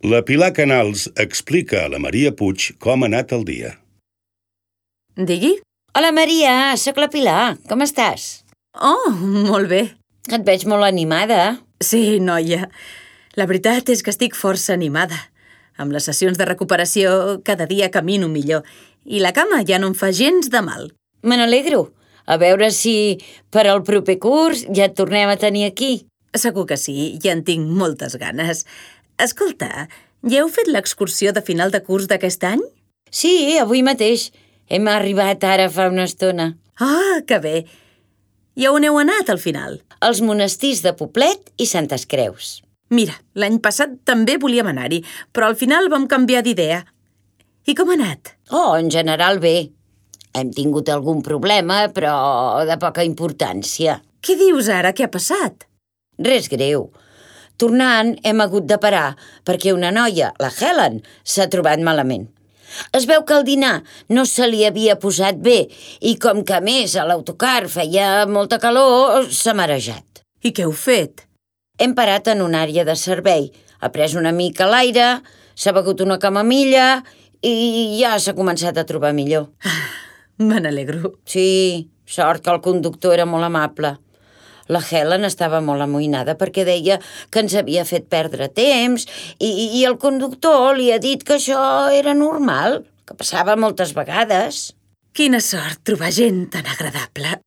La Pilar Canals explica a la Maria Puig com ha anat el dia. Digui? Hola, Maria, sóc la Pilar. Com estàs? Oh, molt bé. Et veig molt animada. Sí, noia. La veritat és que estic força animada. Amb les sessions de recuperació cada dia camino millor i la cama ja no em fa gens de mal. Me n'alegro. A veure si per al proper curs ja et tornem a tenir aquí. Segur que sí, ja en tinc moltes ganes. Escolta, ja heu fet l'excursió de final de curs d'aquest any? Sí, avui mateix. Hem arribat ara fa una estona. Ah, que bé. I on heu anat al final? Als monestirs de Poblet i Santes Creus. Mira, l'any passat també volíem anar-hi, però al final vam canviar d'idea. I com ha anat? Oh, en general bé. Hem tingut algun problema, però de poca importància. Què dius ara? Què ha passat? Res greu. Tornant, hem hagut de parar perquè una noia, la Helen, s'ha trobat malament. Es veu que el dinar no se li havia posat bé i com que a més a l'autocar feia molta calor, s'ha marejat. I què heu fet? Hem parat en una àrea de servei, ha pres una mica l'aire, s'ha begut una camamilla i ja s'ha començat a trobar millor. Me n'alegro. Sí, sort que el conductor era molt amable. La Helen estava molt amoïnada perquè deia que ens havia fet perdre temps i el conductor li ha dit que això era normal, que passava moltes vegades. Quina sort trobar gent tan agradable.